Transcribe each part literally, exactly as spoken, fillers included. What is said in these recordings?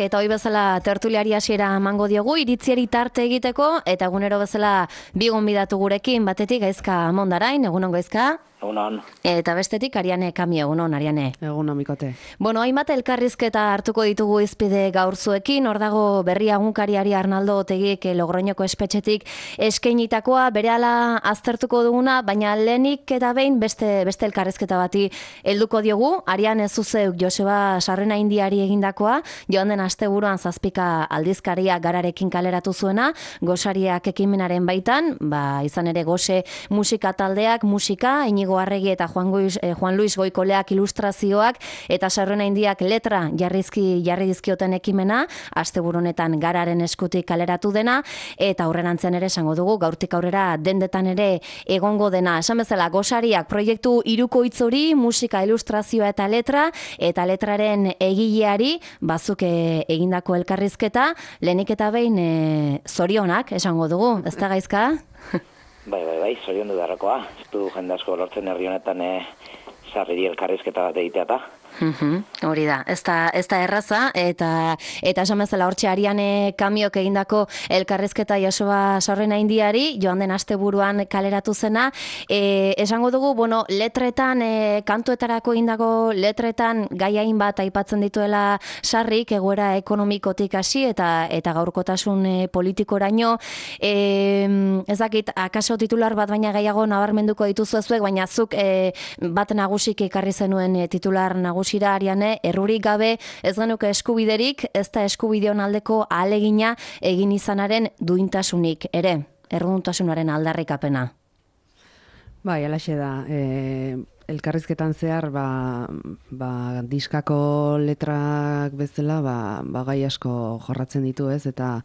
Eta hoi bezala tertuliari hasiera emango diogu, iritziari tarte egiteko, eta egunero bezala bi gonbidatu gurekin, batetik Gaizka Mondarain, egunon Gaizka? Egunon. Eta bestetik Ariane Kamio, egunon Ariane. Egunon Mikote. Bueno, hainbat elkarrizketa hartuko ditugu izpide gaur zuekin, hor dago berria egunkariari Arnaldo Otegik Logroñoko espetxetik eskeinitakoa, berehala aztertuko duguna, baina lehenik eta behin beste beste elkarrizketa bati helduko diogu. Ariane Zuzeuk Joseba Sarrenaindiari egindakoa, joan den asteburuan zazpika aldizkaria Gararekin kaleratu zuena, Gosariak ekimenaren baitan, ba izan ere Gose musika taldeak, musika, Inigo Arregi eta Juan Luis, eh, Juan Luis Goikoleak ilustrazioak eta Sarrenaindiak letra jarrizki jarri dizkioten ekimena, asteburu honetan Gararen eskutik kaleratu dena, eta aurrerantzean ere esango dugu gaurtik aurrera dendetan ere egongo dena. Esan bezala Gosariak proiektu hirukoitz hori, musika, ilustrazioa eta letra, eta letraren egileari bazuk egindako elkarrizketa, lehenik eta behin e, zorionak esango dugu, ez da Gaizka? Bai, bai, bai, zorion du darrakoa. Ez du jende asko lortzen herri honetan e, sarriri elkarrizketa bat egitea eta. Uhum, hori da, ez da, ez da erraza, eta eta esan bezala hortxe Ariane Kamiok egindako elkarrizketa Joseba Sarrenaindiari, joan den asteburuan kaleratu zena, e, esango dugu, bueno, letretan, e, kantuetarako egindako letretan gaiain bat aipatzen dituela sarrik, egoera ekonomikotik hasi eta eta gaurkotasun e, politikoraino, e, ez dakit, akaso titular bat baina gehiago nabarmenduko dituzu ezuek, baina zuk e, bat nagusik ekarri zenuen e, titular nagusi Ariane, errurik gabe ez genuke eskubiderik, ez da eskubideon aldeko ahalegina egin izanaren duintasunik ere, erruduntasunaren aldarrikapena. Bai, alaxe da. E, elkarrizketan zehar, ba, ba, diskako letrak bezala, ba, ba gai asko jorratzen ditu ez, eta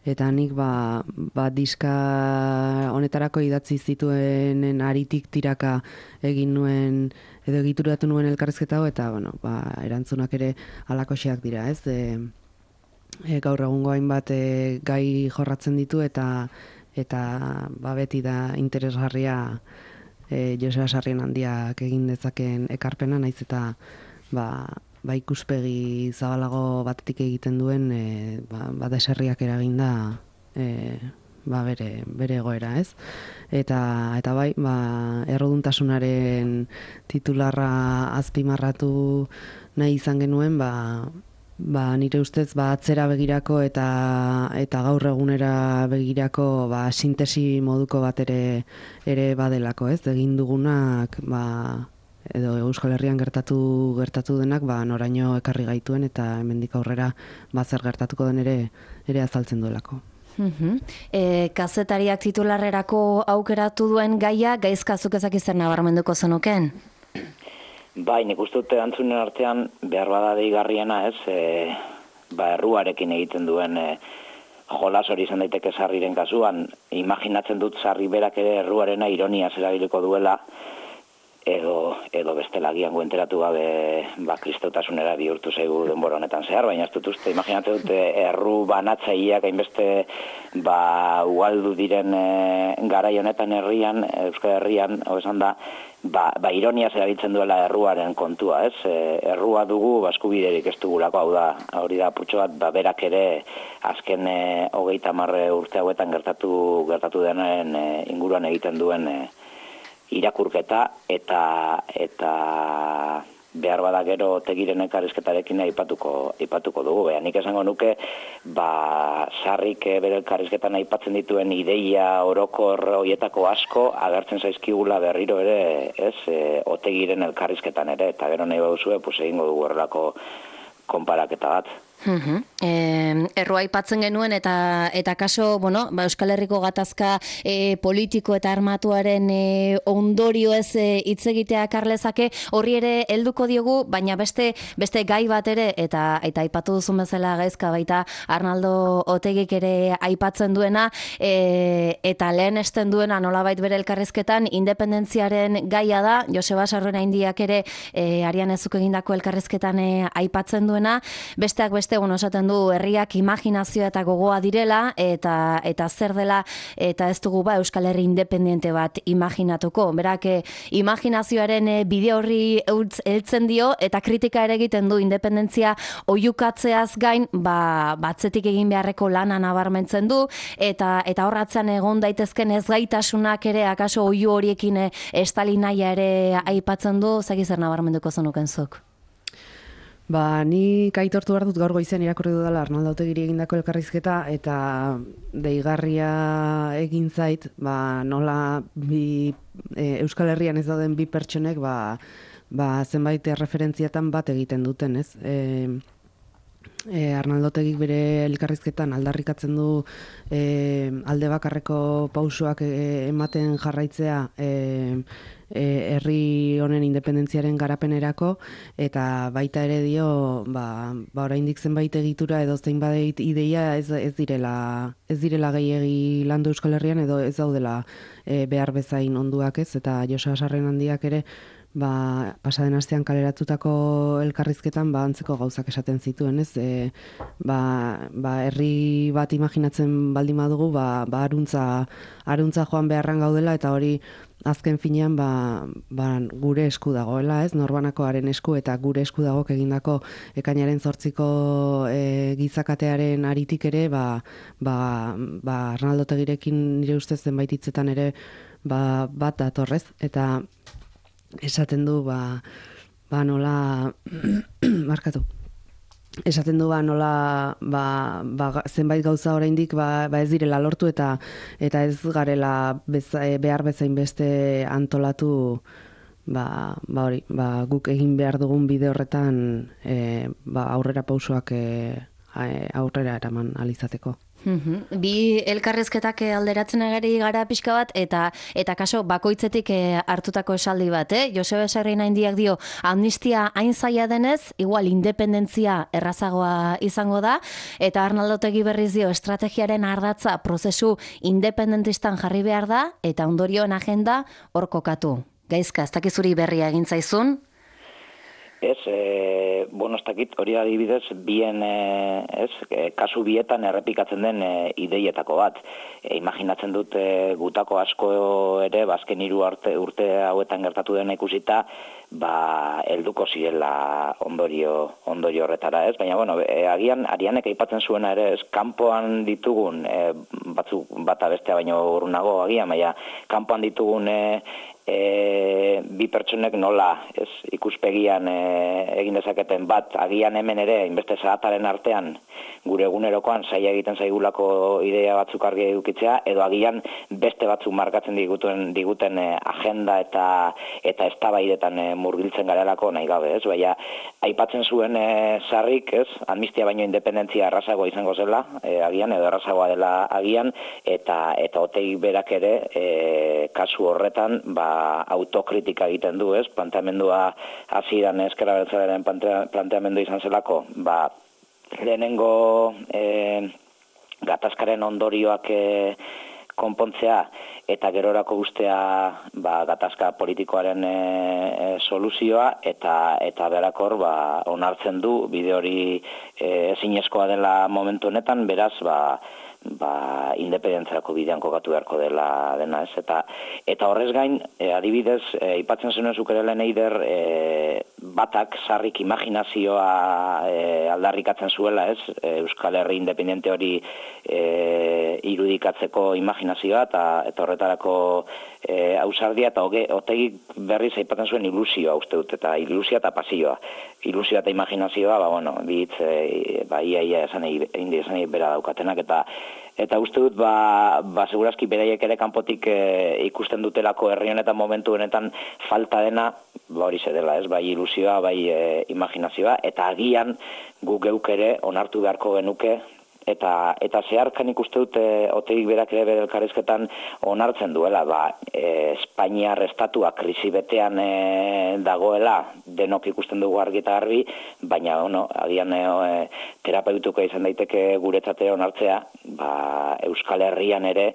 eta nik ba, ba diska honetarako idatzi zituenen aritik tiraka egin nuen edo egituratu nuen elkarrizketa hau, eta bueno, ba, erantzunak ere halakoxeak dira, ez? E, e, gaur egungo hainbat e, gai jorratzen ditu eta eta ba, beti da interesgarria e, Joseba Sarrenaindiak egin dezaken ekarpena, naiz eta ba, ba ikuspegi zabalago batetik egiten duen e, ba, ba deserriak eraginda e, ba bere, bere egoera, ez? Eta, eta bai, ba, erruduntasunaren titularra azpimarratu nahi izan genuen, ba, ba nire ustez ba atzera begirako eta eta gaur egunera begirako ba sintesi moduko bat ere ere badelako, ez? Egin dugunak ba edo Euskal Herrian gertatu gertatu denak ba noraino ekarri gaituen eta hemendik aurrera ba zer gertatuko den ere ere azaltzen duelako. Uhum. E, kazetariak titularrerako aukeratu duen gaia, Gaizkazuk ezak izan nabarmenduko zenuken? Bai, nik uste dute antzunen artean behar bada deigarriena ez, e, ba erruarekin egiten duen e, jolas hori izan daiteke sarriren kasuan, imaginatzen dut sarri berak ere erruarena ironia erabiliko duela, edo edo bestela agian enteratu gabe ba kristautasunera bihurtu zaigu denbora honetan zehar, baina ez dut uste, imaginatzen dute erru banatzaileak hainbeste ba ugaldu diren e, garai honetan herrian, Euskal Herrian, hau esan da, ba, ba ironia erabiltzen duela erruaren kontua, ez? E, errua dugu baskubiderik ez dugulako, hau da, hori da putxo bat, ba berak ere azken e, hogeita hamar urte hauetan gertatu gertatu denen e, inguruan egiten duen e, irakurketa eta eta behar bada gero Otegiren elkarrizketarekin aipatuko aipatuko dugu. Baina nik esango nuke ba sarrik bere elkarrizketan aipatzen dituen ideia orokor hoietako asko agertzen zaizkigula berriro ere, ez, e, Otegiren elkarrizketan ere, eta gero nahi baduzue pues egingo dugu horrelako konparaketa bat. Uhum. E, erroa aipatzen genuen eta eta kaso, bueno, ba, Euskal Herriko gatazka e, politiko eta armatuaren e, ondorio ez hitz egitea karlezake, horri ere helduko diogu, baina beste beste gai bat ere, eta eta aipatu duzun bezala Gaizka baita Arnaldo Otegik ere aipatzen duena, e, eta lehen esten duena nolabait bere elkarrizketan independentziaren gaia da, Joseba Sarrenaindiak ere e, Ariane zuk egindako elkarrizketan e, aipatzen duena, besteak beste hainbeste egun esaten du herriak imaginazioa eta gogoa direla, eta eta zer dela, eta ez dugu ba Euskal Herri independiente bat imaginatuko. Berak imaginazioaren bide horri heltzen dio, eta kritika ere egiten du independentzia oihukatzeaz gain, ba batzetik egin beharreko lana nabarmentzen du, eta eta horratzean egon daitezken ezgaitasunak ere akaso oihu horiekin estali nahia ere aipatzen du. Zaki zer nabarmenduko zenuken zuk? Ba, ni aitortu behar dut gaur goizean irakurri dudala Arnaldo Otegiri egindako elkarrizketa, eta deigarria egin zait, ba, nola bi, e, Euskal Herrian ez dauden bi pertsonek ba, ba, zenbait referentziatan bat egiten duten, ez? E, e, Arnaldo Otegik bere elkarrizketan aldarrikatzen du e, alde bakarreko pausoak e, ematen jarraitzea e, herri honen independentziaren garapenerako, eta baita ere dio, ba, ba oraindik zenbait egitura edo zenbait ideia ez, ez direla ez direla gehiegi landu Euskal Herrian, edo ez daudela e, behar bezain onduak, ez? Eta Joseba Sarrenandiak ere ba, pasaden astean kaleratutako elkarrizketan ba, antzeko gauzak esaten zituen, ez? E, ba, ba, herri bat imaginatzen baldin badugu, ba, ba aruntza, aruntza joan beharran gaudela, eta hori azken finean ba, ba, gure esku dagoela, ez? Norbanakoaren esku, eta gure esku dagok egindako ekainaren zortziko e, gizakatearen aritik ere, ba, ba, ba Arnaldo Otegirekin nire ustez zenbait hitzetan ere ba, bat datorrez, eta esaten du ba, ba nola markatu. Esaten du ba nola ba, ba, zenbait gauza oraindik ba, ba ez direla lortu, eta eta ez garela beza, behar bezain beste antolatu ba, ba hori, ba, guk egin behar dugun bide horretan e, ba, aurrera pausoak e, aurrera eraman alizateko. Bi elkarrezketak alderatzen agari gara pixka bat, eta eta kaso bakoitzetik hartutako esaldi bat, eh? Joseba Sarrenandiak dio, amnistia hain zaila denez, igual independentzia errazagoa izango da, eta Arnaldo Otegi berriz dio, estrategiaren ardatza prozesu independentistan jarri behar da, eta ondorioen agenda hor kokatu. Gaizka, ez dakizuri berria egin zaizun? Ez, e, bueno, ez dakit, hori adibidez, bien, e, ez, e, kasu bietan errepikatzen den e, ideietako bat. E, imaginatzen dut e, gutako asko ere, bazken hiru urte, urte hauetan gertatu dena ikusita, ba, helduko zirela ondorio, ondorio horretara, ez? Baina, bueno, e, agian, Arianek aipatzen zuena ere, ez, kanpoan ditugun, e, batzuk bata bestea baino urrunago, agian, baina, kanpoan ditugun e, E, bi pertsonek nola ez, ikuspegian e, egin dezaketen bat, agian hemen ere inbeste zahataren artean gure egunerokoan zaila egiten zaigulako idea batzuk argi edukitzea, edo agian beste batzuk markatzen diguten, diguten e, agenda eta eta eztabaidetan e, murgiltzen garelako nahi gabe, ez? Baina aipatzen zuen e, Sarrik, ez? Amnistia baino independentzia errazagoa izango zela, e, agian, edo errazagoa dela agian, eta eta Otegi berak ere e, kasu horretan ba autokritika egiten du, ez? Planteamendua hasieran Ezker Abertzalearen planteamendua izan zelako, ba lehenengo e, gatazkaren ondorioak e, konpontzea eta gerorako ustea ba, gatazka politikoaren e, e, soluzioa, eta eta berakor ba, onartzen du bide hori e, ezinezkoa dela momentu honetan, beraz ba ba, independentziarako bidean kokatu beharko dela dena, ez? Eta, eta horrez gain, e, adibidez, e, ipatzen zenuen zuk ere lehen eider, e, batak Sarrik imaginazioa e, aldarrikatzen zuela, ez? E, Euskal Herri independente hori e, irudikatzeko imaginazioa, eta, eta horretarako e, ausardia, eta hoge, Otegi berriz aipatzen zuen ilusioa, uste dut, eta ilusioa eta pasioa. Ilusioa eta imaginazioa, ba, bueno, bitz, e, ba, ia, ia, esan egin esan egin bera daukatenak, eta Eta uste dut, ba, ba segurazki beraiek ere kanpotik e, ikusten dutelako herri honetan momentu honetan falta dena, ba hori dela, ez, bai ilusioa, bai e, imaginazioa, eta agian guk geuk ere onartu beharko genuke, eta eta zeharkan ikuste dut e, Otegik berak ere bere elkarrizketan onartzen duela, ba, e, Espainiar estatua krisi betean e, dagoela, denok ikusten dugu argi eta garbi, baina ono, agian e, terapeutuko izan daiteke guretzat ere onartzea, ba, Euskal Herrian ere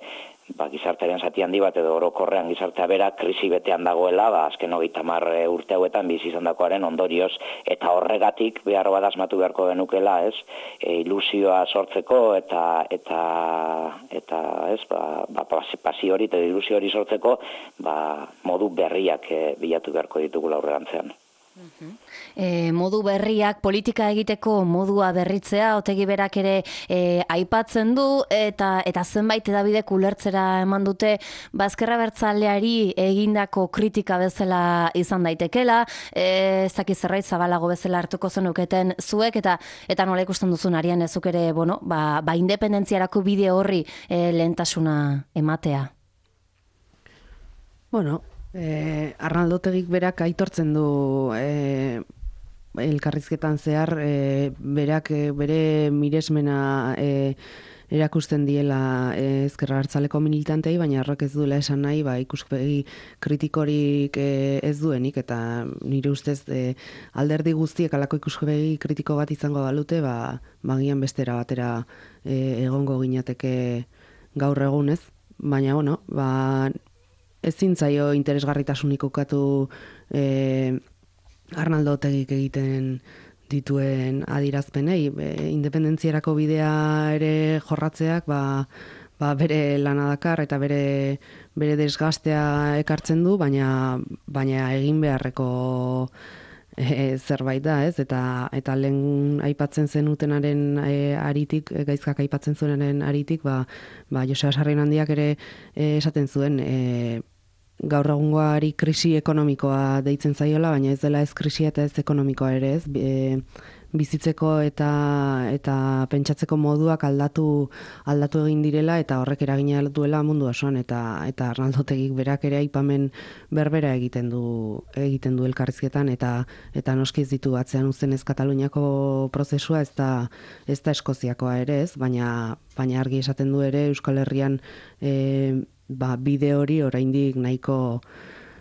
ba, gizartearen zati handi bat edo orokorrean gizartea bera krisi betean dagoela, ba, azken hogeita hamar urte hauetan bizi izandakoaren ondorioz, eta horregatik behar bat asmatu beharko genukela, ez, e, ilusioa sortzeko eta eta eta ez, ba, ba pasio hori eta ilusio hori sortzeko, ba, modu berriak e, bilatu beharko ditugula aurrerantzean. E, modu berriak, politika egiteko modua berritzea, Otegi berak ere e, aipatzen du, eta eta zenbait edabidek ulertzera eman dute, Ezker Abertzaleari egindako kritika bezala izan daitekela, e, ez dakit zerbait zabalago bezala hartuko zenuketen zuek, eta eta nola ikusten duzun Arian ezuk ere, bueno, ba, ba independentziarako bide horri e, lehentasuna ematea. Bueno, Eh, Arnaldo Otegik berak aitortzen du eh, elkarrizketan zehar eh, berak eh, bere miresmena eh, erakusten diela eh, Ezker Abertzaleko militantei, baina horrek ez duela esan nahi, ba, ikuspegi kritikorik eh, ez duenik, eta nire ustez eh, alderdi guztiek alako ikuspegi kritiko bat izango balute, ba, magian bestera batera eh, egongo ginateke gaur egunez, baina bueno, ba, ezin zaio interesgarritasunik ukatu e, Arnaldo Otegik egiten dituen adirazpenei. E, independentziarako bidea ere jorratzeak ba, ba bere lana dakar eta bere bere desgastea ekartzen du, baina baina egin beharreko e, zerbait da, ez? Eta eta lehen aipatzen zenutenaren e, aritik, e, gaizkak aipatzen zuenaren aritik, ba ba Joseba Sarrianandiak ere e, esaten zuen e, gaur egungoari krisi ekonomikoa deitzen zaiola, baina ez dela ez krisia eta ez ekonomikoa ere, ez? E, bizitzeko eta eta pentsatzeko moduak aldatu aldatu egin direla, eta horrek eragina duela mundu osoan, eta eta Arnaldo Otegik berak ere aipamen berbera egiten du egiten du elkarrizketan, eta eta noski ez ditu atzean uzten ez Kataluniako prozesua, ez da ez da Eskoziakoa ere, ez, baina baina argi esaten du ere Euskal Herrian e, ba, bide hori oraindik nahiko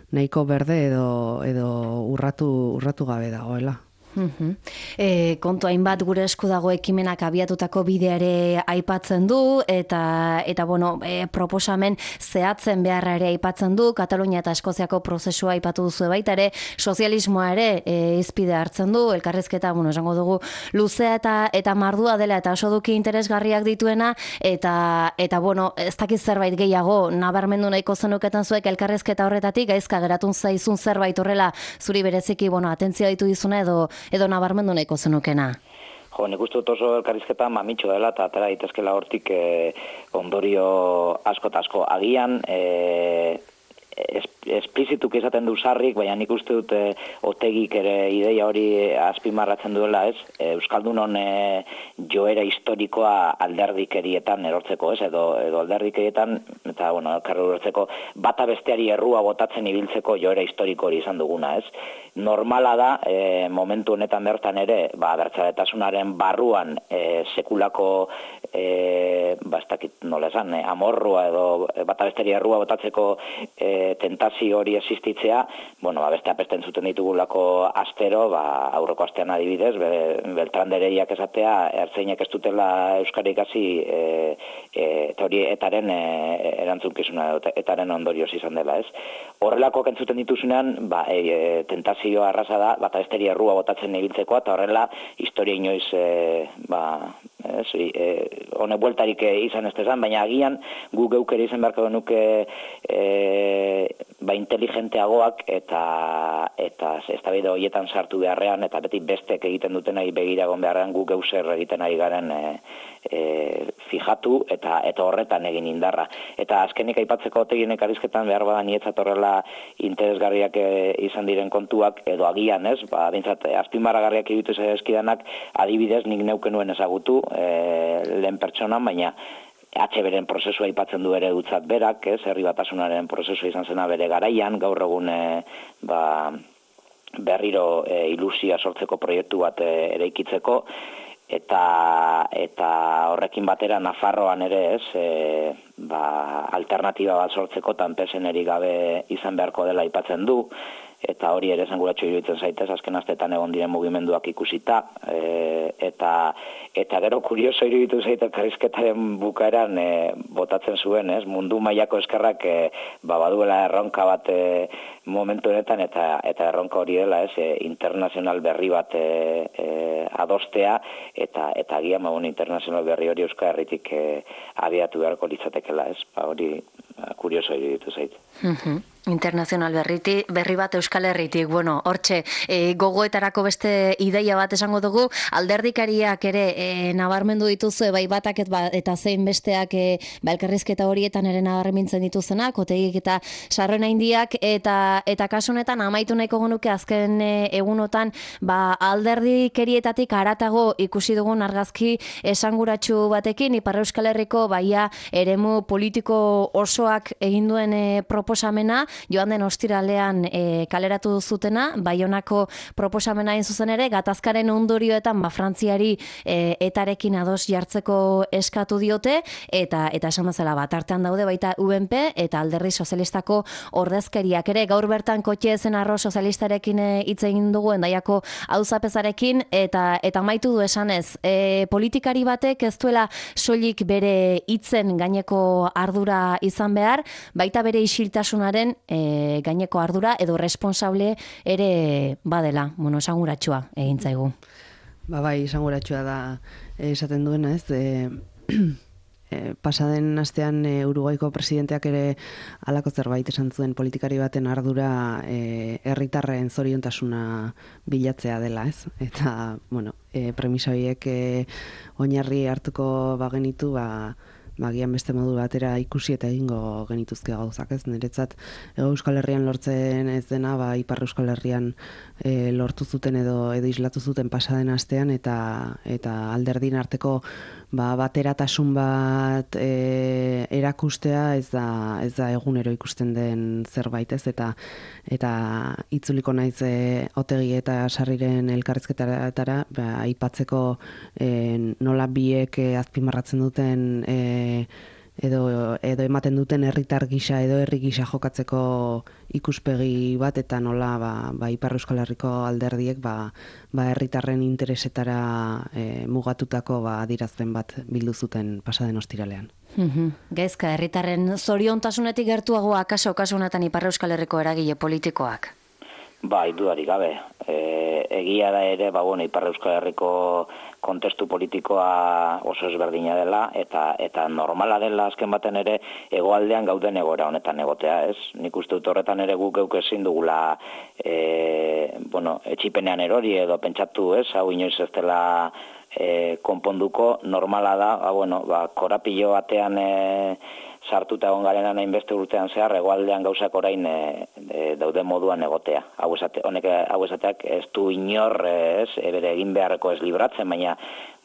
nahiko berde edo edo urratu urratu gabe dagoela. Uh-huh. E, kontu hainbat gure esku dago ekimenak abiatutako bidea ere aipatzen du, eta eta bueno, e, proposamen zehatzen beharra ere aipatzen du, Katalunia eta Eskoziako prozesua aipatu duzu baita ere, sozialismoa ere e, hizpide hartzen du, elkarrizketa, bueno, esango dugu luzea eta eta mardua dela eta oso duki interesgarriak dituena, eta eta bueno, ez dakit zerbait gehiago nabarmendu nahiko zenuketen zuek elkarrizketa horretatik, gaizka geratun zaizun zerbait horrela zuri bereziki, bueno, atentzioa ditu dizuna edo edo nabarmendu nahiko zenukena? Jo, nik uste dut oso elkarrizketa mamitxo dela, eta atera daitezkela hortik eh, ondorio asko eta asko. Agian, eh, es, esplizituk izaten du sarrik, baina nik uste dut eh, Otegik ere ideia hori azpimarratzen duela, ez? Eh, Euskaldunon eh, joera historikoa alderdikerietan erortzeko, ez? Edo, edo alderdikerietan, eta, bueno, elkarri erortzeko, bata besteari errua botatzen ibiltzeko joera historiko hori izan duguna, ez? Normala da, e, momentu honetan bertan ere, ba, abertzaletasunaren barruan e, sekulako, e, ba, ez dakit nola esan, e, amorrua edo e, bata besteri errua botatzeko e, tentazio hori existitzea, bueno, ba, beste apesten zuten ditugulako astero, ba, aurreko astean adibidez, be, Beltrandereiak esatea, ertzeinak ez dutela euskara ikasi, e, e, eta hori etaren e, erantzunkizuna, etaren ondorioz izan dela, ez? Horrelako kentzuten dituzunean, ba, e, e, tentazio arrasa da, bata esteri errua botatzen ibiltzekoa, eta horrela historia inoiz e, ba, ez, e, hone bueltarik izan ez dezan, baina agian gu geukere izan beharko genuke e, ba, inteligenteagoak eta eta eztabaida horietan sartu beharrean, eta beti bestek egiten dutenai begiragon beharrean gu geu zer egiten ari garen e, e, fijatu eta eta horretan egin indarra. Eta azkenik aipatzeko Otegien elkarrizketan behar bada nietzat horrela interesgarriak e, izan diren kontuak, edo agian, ez, ba, bintzat, azpimarragarriak egitu eskidanak, adibidez nik neuken nuen ezagutu, e, lehen pertsonan, baina H B-ren prozesua aipatzen du ere dutzat berak, ez, herri batasunaren prozesua izan zena bere garaian, gaur egun e, ba, berriro e, ilusia sortzeko proiektu bat e, eraikitzeko, eta eta horrekin batera Nafarroan ere, ez, e, ba, alternatiba bat sortzeko tanpeseneri gabe izan beharko dela aipatzen du. eta hori ere esanguratxo iruditzen zaitez, azken astetan egon diren mugimenduak ikusita, e, eta eta gero kurioso iruditu zaite elkarrizketaren bukaeran e, botatzen zuen, ez? Mundu mailako eskerrak e, ba, baduela erronka bat e, momentu honetan, eta eta erronka hori dela, ez? E, internazional berri bat e, e, adostea, eta eta agian ba, internazional berri hori Euskal Herritik e, abiatu beharko litzatekela, ez? Ba, hori ba, kurioso iruditu zaite. Mhm. Internazional berriti, berri bat Euskal Herritik, bueno, hortxe, e, gogoetarako beste ideia bat esango dugu, alderdikariak ere e, nabarmendu dituzu, bai batak et, ba, eta zein besteak e, ba, elkarrizketa horietan ere nabarmentzen dituzenak, Otegik eta Sarrona Indiak, eta eta kasu honetan amaitu nahiko genuke azken e, egunotan, ba, alderdikerietatik haratago ikusi dugun argazki esanguratsu batekin, Ipar Euskal Herriko baia eremu politiko osoak egin duen e, proposamena, joan den ostiralean e, kaleratu zutena, Baionako proposamena hain zuzen ere, gatazkaren ondorioetan ba, Frantziari e, etarekin ados jartzeko eskatu diote, eta eta esan bezala bat artean daude baita U N P eta Alderdi Sozialistako ordezkariak ere, gaur bertan Kotxe Ezenarro sozialistarekin hitz egin dugu Hendaiako auzapezarekin, eta eta amaitu du esanez, e, politikari batek ez duela soilik bere hitzen gaineko ardura izan behar, baita bere isiltasunaren E, gaineko ardura edo responsable ere badela, bueno, esanguratsua egin zaigu. Ba bai, esanguratsua da esaten duena, ez? E, e, pasaden astean e, Uruguaiko presidenteak ere halako zerbait esan zuen, politikari baten ardura e, herritarren zoriontasuna bilatzea dela, ez? Eta, bueno, e, premisa horiek e, oinarri hartuko bagenitu, ba Bagian beste modu batera ikusi eta egingo genituzke gauzak, ez? Niretzat Hego Euskal Herrian lortzen ez dena, ba Ipar Euskal Herrian e, lortu zuten edo edo islatu zuten pasaden astean, eta eta alderdin arteko ba bateratasun bat e, erakustea ez da ez da egunero ikusten den zerbait, ez? Eta eta itzuliko naiz e, Otegi eta Sarriren elkarrizketatara, ba aipatzeko e, nola biek e, azpimarratzen duten e, edo edo ematen duten herritar gisa edo herri gisa jokatzeko ikuspegi bat, eta nola ba, ba Ipar Euskal Herriko alderdiek ba ba herritarren interesetara e, mugatutako ba adierazpen bat bildu zuten pasaden ostiralean. Mhm. Gaizka, herritarren zoriontasunetik gertuago akaso kasu honetan Ipar Euskal Herriko eragile politikoak. Bai, dudarik gabe. E, egia da ere, ba, bueno, Ipar Euskal Herriko kontestu politikoa oso ezberdina dela, eta eta normala dela azken baten ere hegoaldean gauden egoera honetan egotea, ez? Nik uste dut horretan ere guk geuk ezin dugula e, bueno, etxipenean erori edo pentsatu, ez? Hau inoiz ez dela e, konponduko, normala da, ba, bueno, ba, korapilo batean e, sartuta egon garena hainbeste urtean zehar, hegoaldean gauzak orain e, e, daude moduan egotea. Hau esate, honek hau esateak ez du inor ez, bere egin beharreko ez libratzen, baina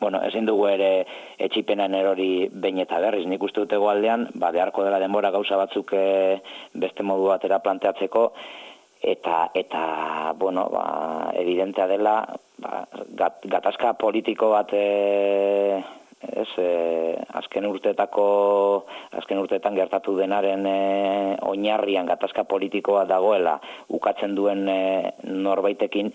bueno, ezin dugu ere etxipenan erori behin eta berriz. Nik uste dut hegoaldean, ba, beharko dela denbora gauza batzuk e, beste modu batera planteatzeko, eta eta bueno, ba, evidentea dela ba, gat, gatazka politiko bat e, ez, e, azken urteetako azken urteetan gertatu denaren e, oinarrian gatazka politikoa dagoela ukatzen duen e, norbaitekin,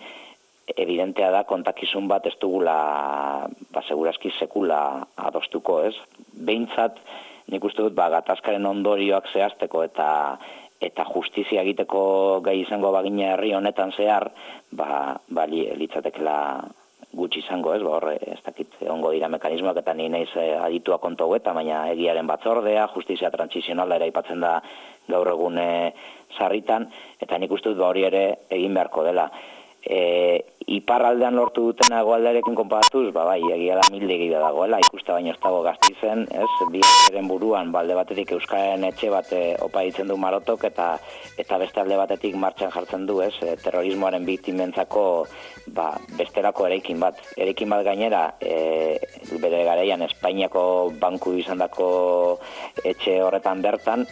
evidentea da kontakizun bat ez dugula ba segurazki sekula adostuko, ez? Behintzat nik uste dut ba gatazkaren ondorioak zehazteko eta eta justizia egiteko gai izango bagina herri honetan zehar, ba ba litzatekela gutxi izango, ez? Ba hor ez dakit egongo dira mekanismoak, eta ni naiz aditua kontu hauetan, baina egiaren batzordea, justizia transitzionala ere aipatzen da gaur egun sarritan, eta nik uste dut ba hori ere egin beharko dela. E, iparraldean lortu duten hegoaldearekin konparatuz, ba bai, egia da mildegi dagoela, ikusta baino ez dago Gasteizen, ez? Bi eren buruan, balde batetik Euskararen etxe bat e, opa ditzen du Marotok, eta eta beste alde batetik martxan jartzen du, ez? E, terrorismoaren biktimentzako ba, besterako eraikin bat. Eraikin bat gainera, e, bere garaian Espainiako banku izandako etxe horretan bertan,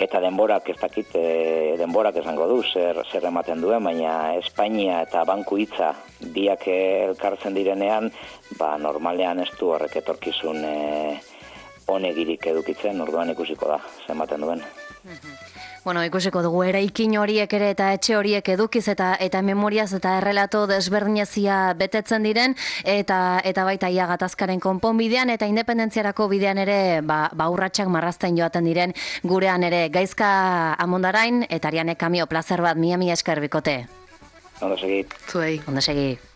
eta denborak ez dakit, e, denborak esango du, zer, zer ematen duen, baina Espainia eta banku hitza biak elkartzen direnean, ba, normalean ez du horrek etorkizun e, onegirik edukitzen, orduan ikusiko da, zer ematen duen. Bueno, ikusiko dugu eraikin horiek ere eta etxe horiek edukiz eta eta memoriaz eta errelato desberdinezia betetzen diren eta eta baita ia gatazkaren konponbidean eta independentziarako bidean ere ba, ba urratsak marrazten joaten diren gurean ere. Gaizka Amondarain eta Ariane Kamio plazer bat, mila mila esker bikote. Ondo segi. Zuei, ondo segi.